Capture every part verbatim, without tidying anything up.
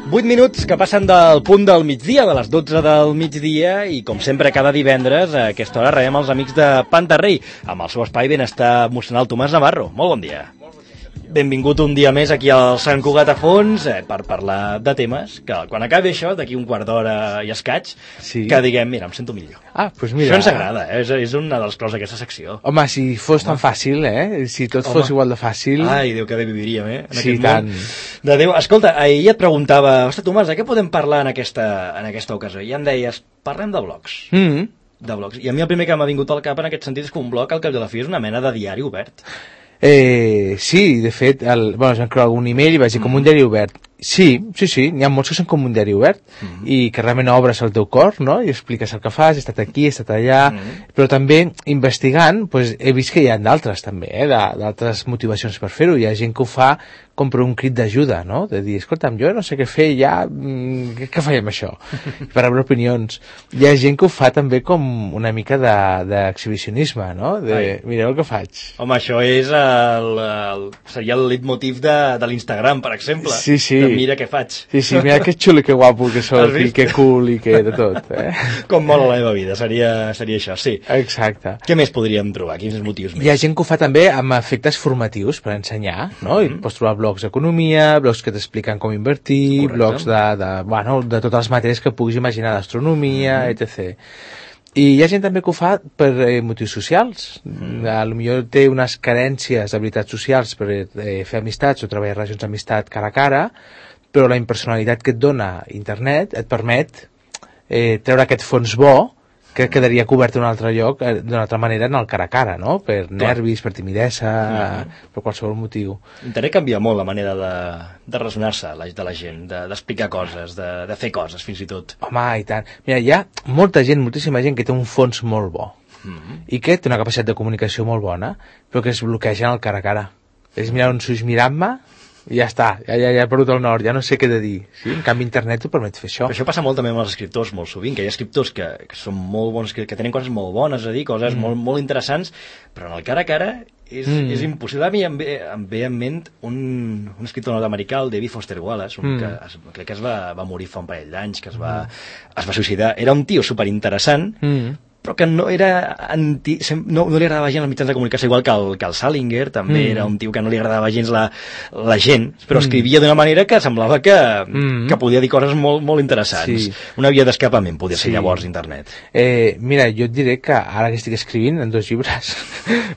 vuit minuts que passen del punt del migdia, de les dotze del migdia, i com sempre cada divendres a aquesta hora rebem els amics de Pantarrei amb el seu espai Benestar Emocional. Tomàs Navarro, molt bon dia. Benvingut un dia més aquí al Sant Cugat a Fons eh, per parlar de temes que quan acabi això, d'aquí un quart d'hora i escaig, sí. que diguem, mira, em sento millor. Ah, doncs mira. Això ens agrada, eh? és, és una de les coses d'aquesta secció. Home, si fos Home. tan fàcil, eh? Si tot Home. fos igual de fàcil... Ai, Déu, que bé viviríem, eh? En sí, tant. Món. De Déu. Escolta, ahir et preguntava, ostres, Tomàs, de què podem parlar en aquesta, en aquesta ocasió? I em deies, parlem de blogs. Mm. De blogs. I a mi el primer que m'ha vingut al cap en aquest sentit és que un blog, al cap de la fi, és una mena de diari obert. Eh, sí, de fet, el, bueno, es van crear algun email i vaig dir, mm. com un diari obert. Sí, sí, sí, n'hi ha molts que són com un diari obert mm. i que realment obres el teu cor, no? I expliques el que fas, he estat aquí, he estat allà, mm. però també investigant, pues, he vist que hi ha d'altres també, eh? d'altres motivacions per fer-ho. Hi ha gent que ho fa com per un crit d'ajuda, no? De dir, escolta'm, jo no sé què fer, ja, què, què faig amb això? Per rebre opinions. Hi ha gent que ho fa també com una mica d'exhibicionisme, no? De, Ai. mireu el que faig. Home, això és el, el, seria el leitmotiv de, de l'Instagram, per exemple. Sí, sí. De mira què faig. Sí, sí, mira que xulo i que guapo que soc, i que cool i que de tot, eh? Com mola la meva vida, seria, seria això, sí. Exacte. Què més podríem trobar? Quins motius més? Hi ha gent que ho fa també amb efectes formatius per ensenyar, no? Mm-hmm. I pots trobar blogs d'economia, blogs que t'expliquen com invertir, Correcte. blogs de, de, bueno, de totes les matèries que puguis imaginar d'astronomia, mm-hmm. etcètera. I hi ha gent també que ho fa per eh, motius socials. Mm. A lo millor té unes carències d'habilitats socials per eh, fer amistats o treballar relacions d'amistat cara a cara, però la impersonalitat que et dona internet et permet eh, treure aquest fons bo que quedaria cobert en un altre lloc, eh, d'una altra manera en el cara a cara, no? Per Clar. nervis, per timidesa, mm. per qualsevol motiu. Internet canvia molt la manera de, de relacionar-se de la gent, d'explicar de, coses, de, de fer coses, fins i tot. Home, i tant. Mira, hi ha molta gent, moltíssima gent que té un fons molt bo mm. i que té una capacitat de comunicació molt bona, però que es bloqueja en el cara a cara. És mirar uns ulls mirant-me i ja està, ja, ja, ja he perdut el nord, ja no sé què de dir. Sí? En canvi, internet t'ho permet fer això. Però això passa molt també amb els escriptors, molt sovint, que hi ha escriptors que, que són molt bons, que, que tenen coses molt bones a dir, coses mm. molt, molt interessants, però en el cara a cara és, mm. és impossible. A mi em ve, em ve en ment un, un escriptor nord-americà, el David Foster Wallace, un mm. que es, crec que es va, va morir fa un parell d'anys, que es va, mm. es va suïcidar. Era un tio superinteressant, mm. però que no era anti, no, no li agradava gens els mitjans de comunicació, igual que el, que el Salinger, també mm. era un tio que no li agradava gens la, la gent, però mm. escrivia d'una manera que semblava que, mm. que podia dir coses molt, molt interessants. Sí. Una via d'escapament podia ser sí. llavors internet. Eh, mira, jo et diré que ara que estic escrivint en dos llibres,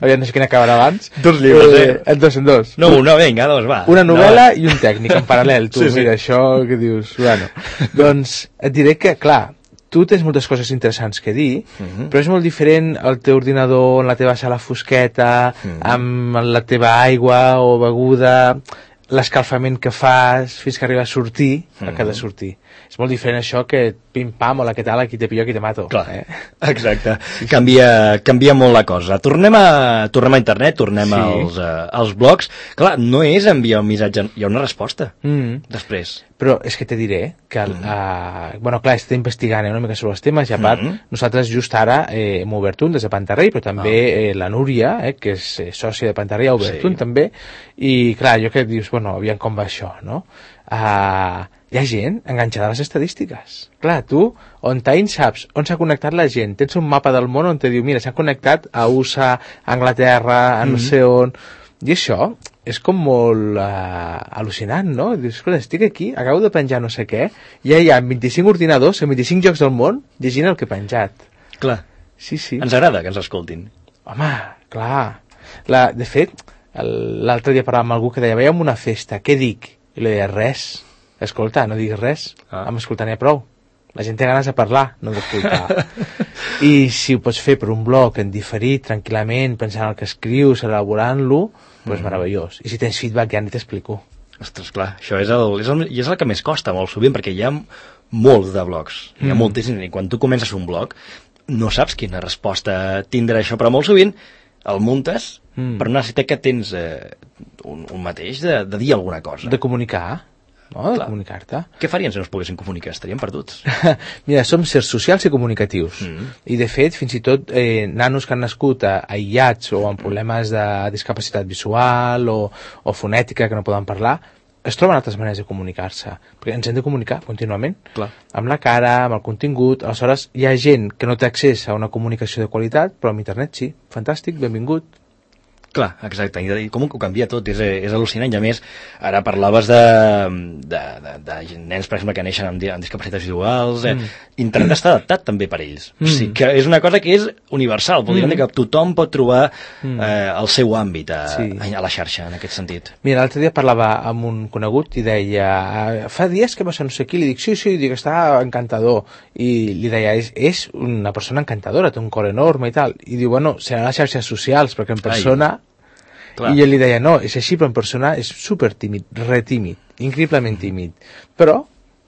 aviam, no sé quin acabarà abans. Dos llibres, eh? eh? En dos, en dos. No, una, vinga, dos, va. Una novel·la no, i un tècnic, en paral·lel, tu, sí, mira, sí. això que dius, bueno. Doncs et diré que, clar, tu tens moltes coses interessants que dir, uh-huh. però és molt diferent el teu ordinador en la teva sala fosqueta, uh-huh. amb la teva aigua o beguda, l'escalfament que fas fins que arriba a sortir, uh-huh. el que ha de sortir. És molt diferent això que pim-pam, hola, què tal, aquí te pillo, aquí te mato. Clar, eh? Exacte. Sí, sí. Canvia, canvia molt la cosa. Tornem a, tornem a internet, tornem sí. als, uh, als blogs. Clar, no és enviar un missatge, hi ha una resposta mm. després. Però és que te diré que, el, mm. uh, bueno, clar, estem investigant eh, una mica sobre els temes i a part, mm. nosaltres just ara eh, hem obert un des de Pantarrei, però també ah. eh, la Núria, eh, que és eh, sòcia de Pantarrei, ha obert sí. un també, i clar, jo que dius, bueno, aviam com va això, no? Uh, hi ha gent enganxada a les estadístiques. Clar, tu, on t'ain saps on s'ha connectat la gent, tens un mapa del món on te diu, mira, s'ha connectat a U S A, a Anglaterra, a no mm-hmm. sé on... I això és com molt uh, al·lucinant, no? Dius, escolta, estic aquí, acabo de penjar no sé què, i ja hi ha vint-i-cinc ordinadors en vint-i-cinc llocs del món llegint el que he penjat. Clar. Sí, sí. Ens agrada que ens escoltin. Home, clar. La, de fet, l'altre dia parlàvem amb algú que deia, veiem una festa, què dic? I li deia, res. Escolta, no diguis res. Ah. Amb escoltar n'hi ha prou. La gent té ganes de parlar, no d'escoltar. I si ho pots fer per un blog en diferit, tranquil·lament, pensant en el que escrius, elaborant-lo, doncs pues mm. meravellós. I si tens feedback ja ni t'explico. Ostres, clar, això és el, és el, és el que més costa molt sovint, perquè hi ha molts de blogs. Hi ha mm. moltíssims. I quan tu comences un blog, no saps quina resposta tindrà això, però molt sovint el muntes mm. per una necessitat que tens eh, un, un mateix de, de dir alguna cosa. De comunicar. No, de comunicar-te. Què farien si no es poguessin comunicar? Estaríem perduts. Mira, som sers socials i comunicatius. Mm. I, de fet, fins i tot eh, nanos que han nascut a, aïllats o amb problemes de discapacitat visual o, o fonètica que no poden parlar, es troben altres maneres de comunicar-se, perquè ens hem de comunicar contínuament, Clar. amb la cara, amb el contingut. Aleshores hi ha gent que no té accés a una comunicació de qualitat, però amb internet sí, fantàstic, benvingut. Clar, exacte, i com ho canvia tot, és, és al·lucinant, i a més, ara parlaves de, de, de, de nens, per exemple, que neixen amb, amb discapacitats visuals, eh, mm. internet està adaptat també per ells, mm. o sigui que és una cosa que és universal, vol dir mm. que tothom pot trobar mm. eh, el seu àmbit a, sí. a la xarxa, en aquest sentit. Mira, l'altre dia parlava amb un conegut i deia, fa dies que va ser no sé qui, li dic, sí, sí, dic, està encantador, i li deia, és, és una persona encantadora, té un cor enorme i tal, i diu, bueno, seran les xarxes socials, perquè en persona... Ai. Clar. I jo li deia, no, és així, però en persona és super tímid, retímid, increïblement tímid. Però,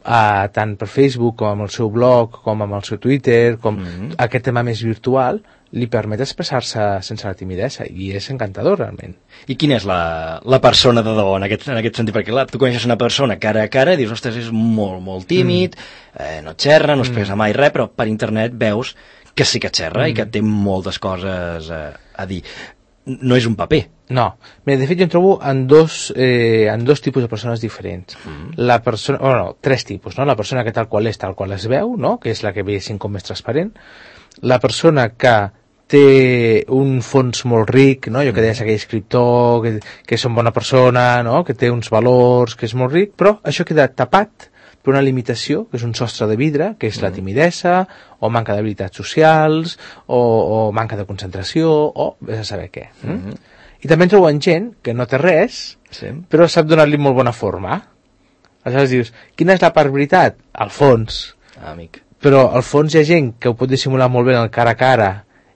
eh, tant per Facebook, com amb el seu blog, com amb el seu Twitter, com mm-hmm. aquest tema més virtual, li permet expressar-se sense la timidesa, i és encantador, realment. I quina és la, la persona de debò, en aquest, en aquest sentit? Perquè, clar, tu coneixes una persona cara a cara i dius, ostres, és molt, molt tímid, mm. eh, no xerra, no expressa mm. mai res, però per internet veus que sí que xerra mm. i que té moltes coses eh, a dir. No és un paper. No. Mira, de fet jo em trobo en dos, eh, en dos tipus de persones diferents. Mm. La persona, bueno, tres tipus, no? La persona que tal qual és, tal qual es veu, no? Que és la que veiem com més transparent. La persona que té un fons molt ric, no? Jo que deies aquell escriptor, que, que és una bona persona, no? Que té uns valors, que és molt ric, però això queda tapat per una limitació, que és un sostre de vidre, que és la timidesa, o manca d'habilitats socials, o, o manca de concentració, o vés a saber què. Mm? Mm-hmm. I també en troben gent que no té res, sí. però sap donar-li molt bona forma. Aleshores dius, quina és la part veritat? Al fons. Ah, amic. Però al fons hi ha gent que ho pot dissimular molt bé en el cara a cara,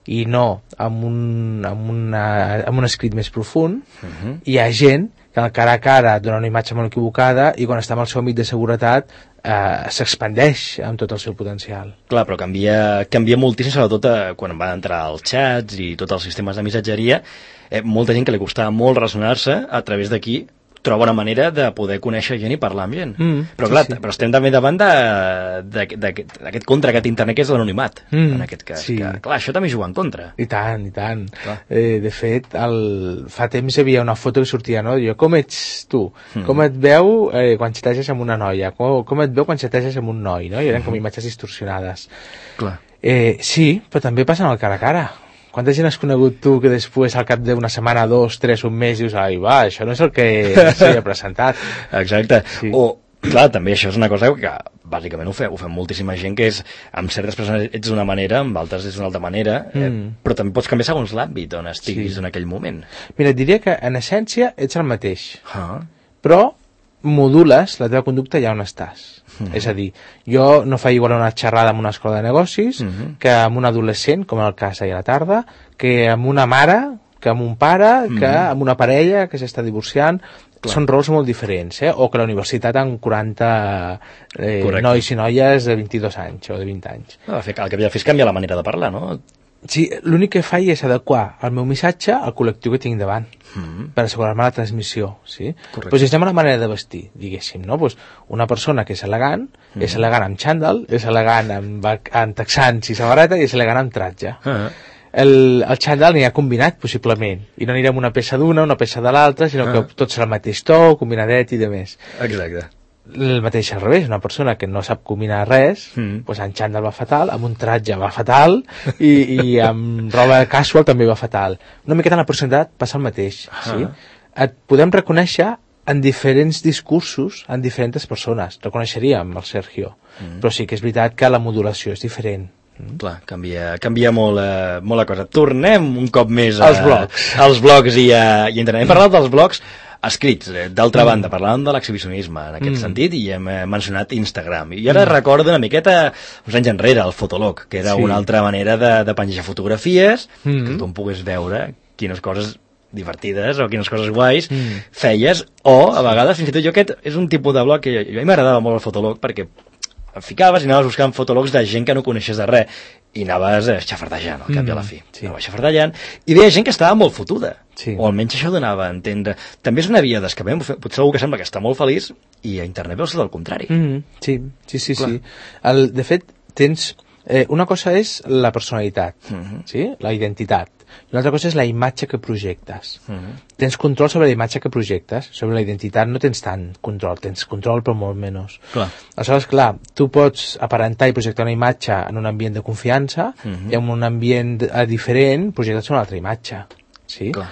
i no amb un, amb una, amb un escrit més profund. Mm-hmm. Hi ha gent que en el cara a cara dona una imatge molt equivocada i quan està amb el seu amic de seguretat eh, s'expandeix amb tot el seu potencial. Clar, però canvia, canvia moltíssim, sobretot eh, quan va entrar als xats i tots els sistemes de missatgeria, eh, molta gent que li costava molt relacionar-se a través d'aquí troba una manera de poder conèixer gent i parlar amb gent. Mm, però clar, sí, sí. però estem també davant d'aquest contra, aquest internet que és l'anonimat, mm, en aquest cas. Sí. Que, clar, això també juga en contra. I tant, i tant. Eh, de fet, el... fa temps hi havia una foto que sortia, no? Jo, com ets tu? Mm. Com et veu eh, quan xateges amb una noia? Com, com et veu quan xateges amb un noi? No? I eren mm. com imatges distorsionades. Clar. Eh, sí, però també passa en el cara a cara. Quanta gent has conegut tu que després al cap d'una setmana, dos, tres, un mes dius, ai va, això no és el que s'havia presentat. Exacte. Sí. O, clar, també això és una cosa que bàsicament ho fem, ho fem moltíssima gent, que és, amb certes persones ets d'una manera, amb altres és d'una altra manera, mm. eh, però també pots canviar segons l'àmbit on estiguis sí. en aquell moment. Mira, et diria que en essència ets el mateix, ah. però modules la teva conducta allà on estàs. Mm-hmm. És a dir, jo no faig igual una xerrada amb una escola de negocis mm-hmm. que amb un adolescent, com en el cas ahir a la tarda, que amb una mare, que amb un pare, mm-hmm. que amb una parella que s'està divorciant. Clar. Són rols molt diferents, eh? O que la universitat amb quaranta eh, nois i noies de vint-i-dos anys o de vint anys. No, el que havia de fer és canviar la manera de parlar, no? Sí, l'únic que faig és adequar el meu missatge al col·lectiu que tinc davant, mm-hmm. per assegurar-me la transmissió, sí? Correcte. Pues estem a la manera de vestir, diguéssim, no? Pues una persona que és elegant, mm-hmm. és elegant amb xandall, és elegant amb, amb texans i samarreta i és elegant amb tratge. Uh-huh. El, el xandall n'hi ha combinat, possiblement, i no anirem una peça d'una, una peça de l'altra, sinó uh-huh. que tot serà el mateix to, combinadet i de més. Exacte. El mateix al revés, una persona que no sap combinar res, mm. doncs en xandall va fatal, amb un tratge va fatal i, i amb roba casual també va fatal. Una miqueta en la personalitat passa el mateix. Ah. Sí? Et podem reconèixer en diferents discursos, en diferents persones. Reconeixeríem el Sergio, mm. però sí que és veritat que la modulació és diferent. Mm. Clar, canvia, canvia molt, eh, molt la cosa. Tornem un cop més a, als blogs, als blogs i a, i a internet. Hem parlat dels blogs escrits. D'altra mm. banda, parlàvem de l'exhibicionisme en aquest mm. sentit i hem eh, mencionat Instagram. I ara mm. recordo una miqueta uns anys enrere el Fotolog, que era sí. una altra manera de, de penjar fotografies mm. que tothom pogués veure quines coses divertides o quines coses guais mm. feies, o a vegades fins i tot jo aquest és un tipus de blog que jo, jo a mi m'agradava molt el Fotolog perquè et ficaves i anaves buscant fotologs de gent que no coneixes de res i anaves eh, xafardejant al cap mm, i a la fi sí. anaves xafardejant i veia gent que estava molt fotuda sí. o almenys això donava a entendre. També és una via d'escapament, potser algú que sembla que està molt feliç i a internet veus tot el contrari. Mm, sí, sí, sí, sí. El, de fet tens eh, una cosa és la personalitat, uh-huh. sí? La identitat. I una altra cosa és la imatge que projectes. Uh-huh. Tens control sobre la imatge que projectes, sobre la identitat no tens tant control, tens control però molt menys. Clar. Aleshores, clar, tu pots aparentar i projectar una imatge en un ambient de confiança uh-huh. i en un ambient diferent projectes una altra imatge, sí? Clar.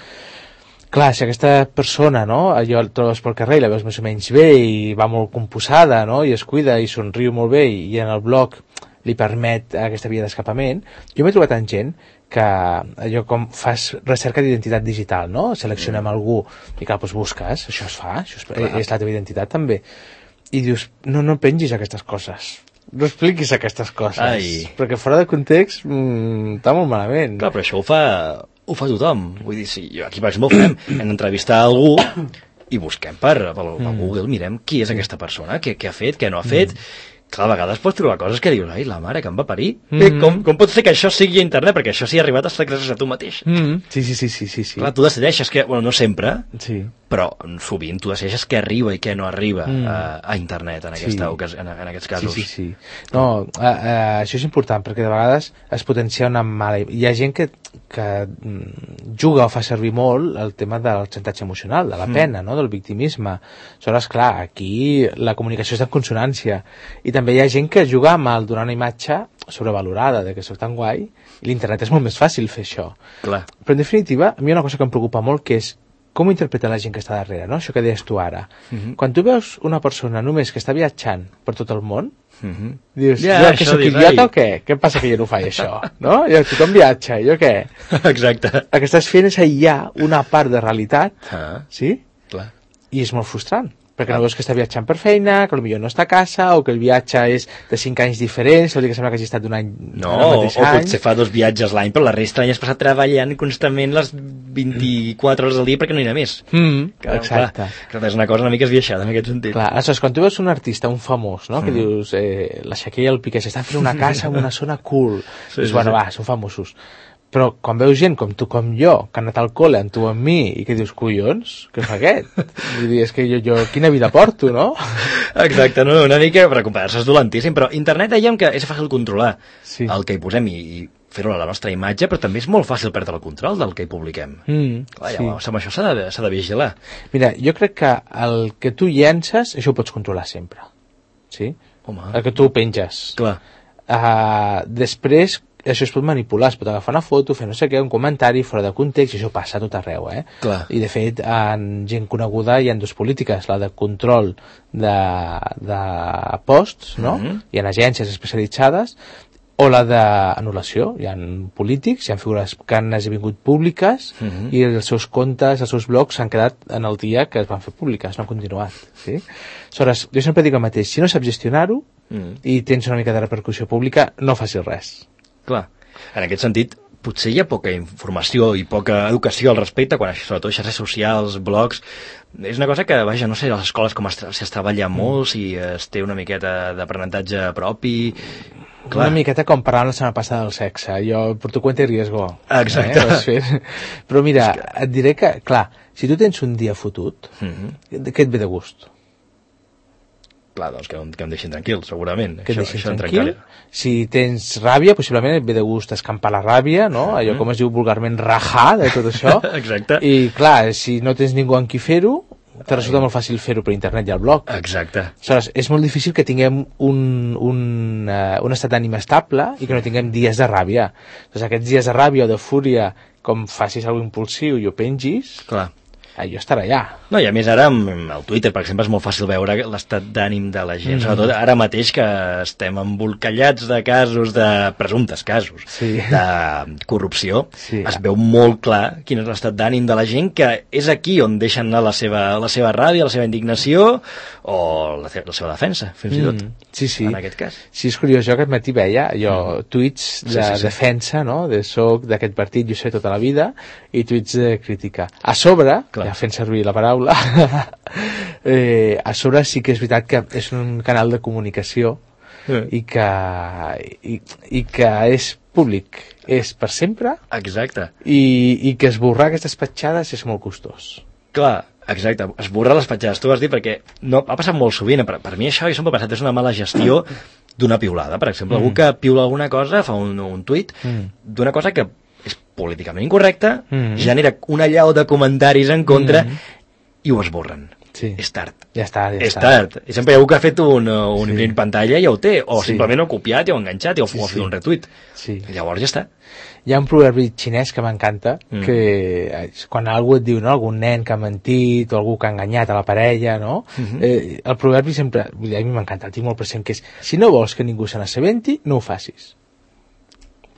Clar, si aquesta persona, no, allò el trobes pel carrer i la veus més o menys bé i va molt composada, no, i es cuida i somriu molt bé i, i en el blog li permet aquesta via d'escapament, jo m'he trobat amb gent que allò com fas recerca d'identitat digital, no? Seleccionem mm. algú i clar, doncs busques, això es fa, això és, és la teva identitat també. I dius, no, no pengis aquestes coses. No expliquis aquestes coses. Ai. Perquè fora de context mmm, està molt malament. Clar, però això ho fa, ho fa tothom. Vull dir, si jo aquí per exemple ho fem, hem d'entrevistar algú i busquem per, per, per mm. Google, mirem qui és aquesta persona, què, què ha fet, què no ha fet... Mm. Clar, a vegades pots trobar coses que dius, ai, la mare que em va parir. Mm-hmm. Com, com pot ser que això sigui a internet? Perquè això s'hi ha arribat a estar gràcies a tu mateix. Mm-hmm. Sí, sí, sí, sí, sí, sí. Clar, tu decideixes que, bueno, no sempre, sí. però sovint tu decideixes què arriba i què no arriba mm. a, a internet en, aquesta, sí. en, en aquests casos. Sí, sí, sí. No, uh, uh, això és important perquè de vegades es potencia una mala... Hi ha gent que, que juga o fa servir molt el tema del xantatge emocional, de la pena, mm. no? Del victimisme. Aleshores, clar, aquí la comunicació és en consonància. I també hi ha gent que juga amb el donar una imatge sobrevalorada, de que soc tan guai, i l'internet és molt més fàcil fer això. Clar. Però en definitiva, a mi hi ha una cosa que em preocupa molt, que és com ho interpreta la gent que està darrere, no? Això que deies tu ara. Uh-huh. Quan tu veus una persona només que està viatjant per tot el món, uh-huh. dius, ja, jo que soc idiota o què? Què passa que jo no faig això? No? Jo, tothom viatja, jo què? Exacte. El que estàs fent és aïllar una part de realitat, uh-huh. sí? Clar. I és molt frustrant. Perquè no veus que està viatjant per feina, que potser no està a casa, o que el viatge és de cinc anys diferents, vol dir que sembla que hagi estat d'un any no, o, o potser fa dos viatges l'any, però la resta l'any has passat treballant constantment les vint-i-quatre hores al dia perquè no hi ha més. Mm, clar, exacte. Clar, és una cosa una mica esbiaixada en aquest sentit. Clar, aleshores, quan tu veus un artista, un famós, no? Mm. Que dius, eh, la Shakira i el Piqué s'estan fent una casa en una zona cool, sí, dius, sí, bueno, sí. va, són famosos. Però quan veus gent com tu, com jo, que han anat al col·le amb tu, amb mi, i que dius, collons, què fa aquest? Vull dir, és que jo, jo quina vida porto, no? Exacte, no, una mica per comparar-se és dolentíssim, però internet dèiem que és fàcil controlar sí. el que hi posem i, i fer-ho a la nostra imatge, però també és molt fàcil perdre el control del que hi publiquem. Mm, Clar, ja, sí. Amb això s'ha de, s'ha de vigilar. Mira, jo crec que el que tu llences, això ho pots controlar sempre. Sí? Home. El que tu penges. Clar. Uh, després, això es pot manipular, es pot agafar una foto, fer no sé què, un comentari fora de context, i això passa a tot arreu, eh? Clar. I de fet, en gent coneguda hi ha dues polítiques, la de control de, de posts, no? Mm-hmm. Hi ha agències especialitzades, o la d'anul·lació. Hi ha polítics, hi ha figures que han esdevingut públiques mm-hmm. i els seus comptes, els seus blogs s'han quedat en el dia que es van fer públiques, no han continuat. Sí? Aleshores, jo sempre dic el mateix, si no saps gestionar-ho mm. i tens una mica de repercussió pública, no facis res. Clar, en aquest sentit, potser hi ha poca informació i poca educació al respecte, quan sobretot xarxes socials, blogs, és una cosa que, vaja, no sé, a les escoles com es, si es treballa molt, si es té una miqueta d'aprenentatge propi... Clar. Una miqueta com parlàvem la setmana passada del sexe, jo per tu cuenta y riesgo. Exacte. Eh? Però mira, que... et diré que, clar, si tu tens un dia fotut, mm-hmm. què et ve de gust? Clar, doncs que, que em deixin tranquil, segurament. Que et deixin això tranquil. Si tens ràbia, possiblement et ve de gust escampar la ràbia, no? Allò com es diu vulgarment rajar de tot això. Exacte. I clar, si no tens ningú amb qui fer-ho, te resulta molt fàcil fer-ho per internet i al blog. Exacte. Aleshores, és molt difícil que tinguem un, un, uh, un estat d'ànim estable i que no tinguem dies de ràbia. Doncs aquests dies de ràbia o de fúria, com facis alguna impulsiu i ho pengis... Clar. Jo estarà allà. No, i a més ara amb el Twitter, per exemple, és molt fàcil veure l'estat d'ànim de la gent, mm. sobretot ara mateix que estem embolcallats de casos, de presumptes casos, sí. de corrupció, sí. es veu molt clar quin és l'estat d'ànim de la gent, que és aquí on deixen anar la seva, la seva ràbia, la seva indignació o la, la seva defensa, fins i tot, mm. sí, sí. en aquest cas. Sí, és curiós, jo aquest matí veia jo, mm. tuits de sí, sí, sí. defensa, no? de soc d'aquest partit, jo sé tota la vida, i tuits de crítica. A sobre, clar. Ja fent servir la paraula, eh, a sobre sí que és veritat que és un canal de comunicació eh. i, que, i, i que és públic, és per sempre. Exacte. I, i que esborrar aquestes petjades és molt costós. Clar, exacte, esborrar les petjades, tu vas dir, perquè no, ha passat molt sovint, per, per mi això, jo sempre he pensat, és una mala gestió d'una piulada, per exemple. Mm. Algú que piula alguna cosa, fa un, un tuit mm. d'una cosa que és políticament incorrecta, mm. genera una llau de comentaris en contra mm. i ho esborren. Sí. És tard. Ja està, ja és està. tard. I sempre hi ha algú que ha fet un, un sí. pantalla i ja ho té, o sí. simplement ho ha copiat i ho ha enganxat i ho sí, ha fet sí. un retuit. Sí. I llavors ja està. Hi ha un proverbi xinès que m'encanta, mm. que quan algú et diu, no, algun nen que ha mentit o algú que ha enganyat a la parella, no? Mm-hmm. eh, el proverbi sempre, a mi m'encanta, el tinc molt present, que és, si no vols que ningú se n'assabenti, no ho facis.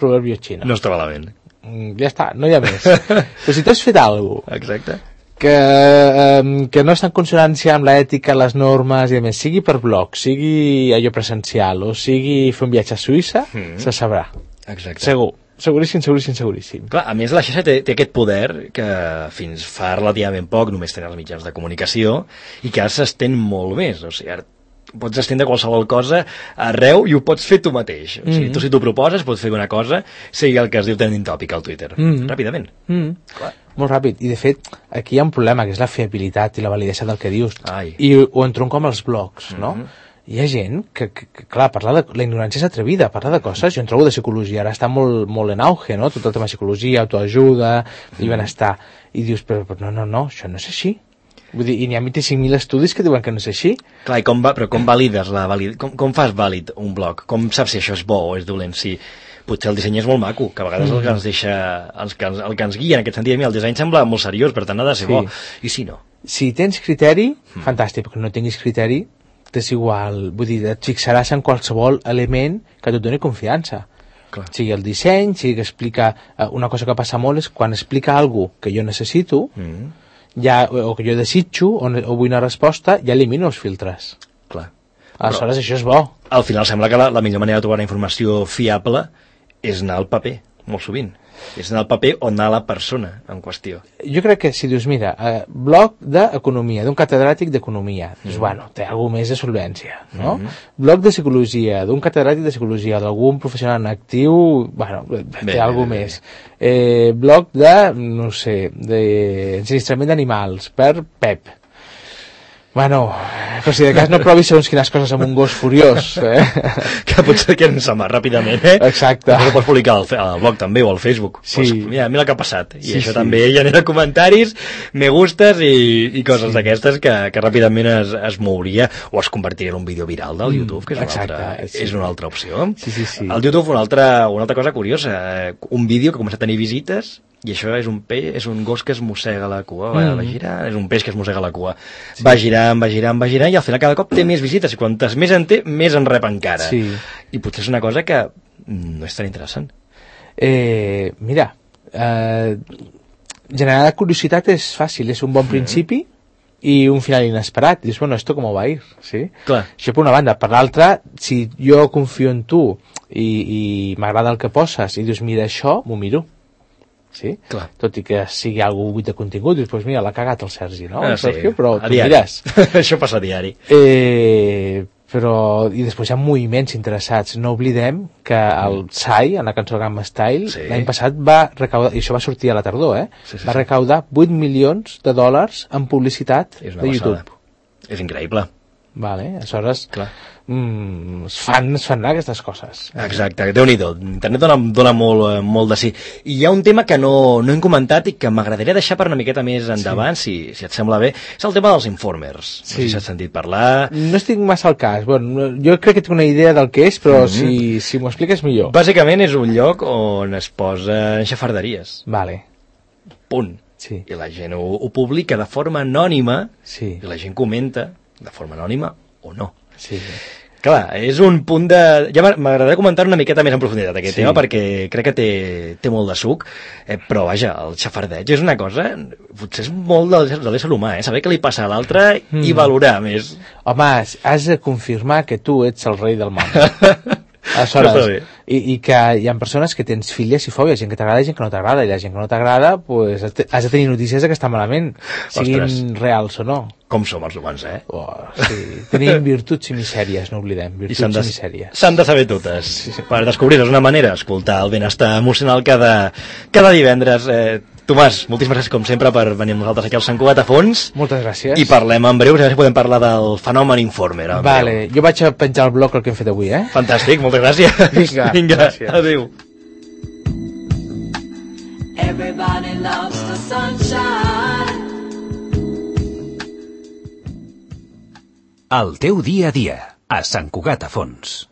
Proverbi xino. No està malament. Mm, ja està, no hi ha més. Però si tu has fet alguna cosa exacte. que, eh, que no està en consonància amb l'ètica, les normes i a més, sigui per blog, sigui allò presencial o sigui fer un viatge a Suïssa, mm. se sabrà. Exacte. Segur. Seguríssim, seguríssim, seguríssim. Clar, a més la xarxa té, té aquest poder que fins fa relativament poc només tenen els mitjans de comunicació i que ara s'estén molt més. O sigui, ara pots estendre qualsevol cosa arreu i ho pots fer tu mateix. O sigui, mm-hmm. tu si t'ho proposes pots fer una cosa, sigui el que es diu trending topic al Twitter. Mm-hmm. Ràpidament. Mm-hmm. Clar. Molt ràpid. I de fet, aquí hi ha un problema, que és la fiabilitat i la validesa del que dius. Ai. I ho entronco amb els blogs, no? Mm-hmm. Hi ha gent que, que, que, clar, parlar de... La ignorància és atrevida, parlar de coses. Jo en trobo de psicologia, ara està molt, molt en auge, no? Tot el tema de psicologia, autoajuda mm. i benestar. I dius, però, però no, no, no, això no és així. Vull dir, i n'hi ha vint-i-cinc mil estudis que diuen que no és així. Clar, i com va, però com valides la valid... com, com fas vàlid un blog? Com saps si això és bo o és dolent? Si potser el disseny és molt maco, que a vegades mm. el que ens deixa, els que ens, el que ens guia en aquest sentit, a mi el disseny sembla molt seriós, per tant ha de ser sí. bo. I si no? Si tens criteri, mm. fantàstic, perquè no tinguis criteri, t'és igual, vull dir, et fixaràs en qualsevol element que et doni confiança. Clar. Sigui el disseny, sigui que explica... Una cosa que passa molt és quan explica alguna que jo necessito, mm. ja, o que jo desitjo, o, o vull una resposta, ja elimino els filtres. Clar. Aleshores, però, això és bo. Al final sembla que la, la millor manera de trobar una informació fiable és anar al paper, molt sovint. És anar al paper o anar a la persona en qüestió. Jo crec que si dius, mira, eh, blog d'economia, d'un catedràtic d'economia, mm. doncs, bueno, té alguna més de solvència, no? Mm. Blog de psicologia, d'un catedràtic de psicologia, d'algun professional en actiu, bueno, té bé, alguna bé, més. Bé. Eh, blog de, no sé, d'ensinistrament d'animals, per Pep. Bueno, però si de cas no provis segons quines coses amb un gos furiós, eh? Que potser que ens ama ràpidament, eh? Exacte. Però ho pots publicar al, al blog també o al Facebook. Sí. Pues, mira, mira el que ha passat. I sí, això sí. també genera comentaris, me gustes i, i coses sí. d'aquestes que, que ràpidament es, es mouria o es convertiria en un vídeo viral del mm, YouTube, que és una, exacte, altra, sí. és una altra opció. Sí, sí, sí. El YouTube, una altra, una altra cosa curiosa, un vídeo que comença a tenir visites i això és un peix, és un gos que es mossega la cua, va, mm. va girant, és un peix que es mossega la cua. Sí. Va girant, va girant, va girant, i al final cada cop té més visites, i quantes més en té, més en rep encara. Sí. I potser és una cosa que no és tan interessant. Eh, mira, eh, generar curiositat és fàcil, és un bon mm. principi i un final inesperat. Dius, bueno, esto cómo va a ir, ¿sí? Clar. Això per una banda. Per l'altra, si jo confio en tu i, i m'agrada el que poses i dius, mira això, m'ho miro. Sí? Clar. Tot i que sigui algú buit de contingut, dius, pues mira, l'ha cagat el Sergi, no? Ah, el Sergio, sí. però a tu diari. Mires. Això passa a diari. Eh, però, i després hi ha moviments interessats. No oblidem que el Psy, en la cançó Gamma Style, sí. l'any passat va recaudar, i això va sortir a la tardor, eh? Sí, sí, va recaudar vuit milions de dòlars en publicitat de YouTube. És increïble. Vale, aleshores mm, es, fan, es fan aquestes coses. Exacte, Déu-n'hi-do. Internet dona, dona molt, molt de sí. I hi ha un tema que no, no hem comentat i que m'agradaria deixar per una miqueta més endavant, sí. si, si et sembla bé, és el tema dels informers. Sí. No sé si has sentit parlar. No estic massa al cas. Bueno, jo crec que tinc una idea del que és, però mm-hmm. si, si m'ho expliques millor. Bàsicament és un lloc on es posen xafarderies. Vale. Punt. Sí. I la gent ho, ho publica de forma anònima, sí. i la gent comenta de forma anònima o no. Sí, sí. Clar, és un punt de... Ja m'agradaria comentar una miqueta més en profunditat aquest sí. tema, perquè crec que té, té molt de suc, eh, però vaja, el xafardeig és una cosa... Potser és molt de, de l'ésser humà, eh? Saber què li passa a l'altre mm. i valorar més. Home, has de confirmar que tu ets el rei del món. Aleshores, i, i que hi ha persones que tens filies i fòbies, gent que t'agrada i gent que no t'agrada, i la gent que no t'agrada, pues, has de tenir notícies que està malament, siguin Ostres. reals o no. Com som els humans, eh? Oh, sí. Tenim virtuts i misèries, no oblidem, virtuts i, de, i misèries. S'han de saber totes. Sí, sí. Per descobrir-les una manera, escoltar el benestar emocional cada, cada divendres. Eh, Tomàs, moltíssimes gràcies com sempre per venir amb nosaltres aquí al Sant Cugat a fons. Moltes gràcies. I parlem en breu, a veure si podem parlar del fenomen Informer. Vale, jo vaig a penjar el blog el que hem fet avui, eh? Fantàstic, moltes gràcies. Vinga, Vinga, gràcies. Adéu. Everybody loves the sunshine. El teu dia a dia, a Sant Cugat a Fons.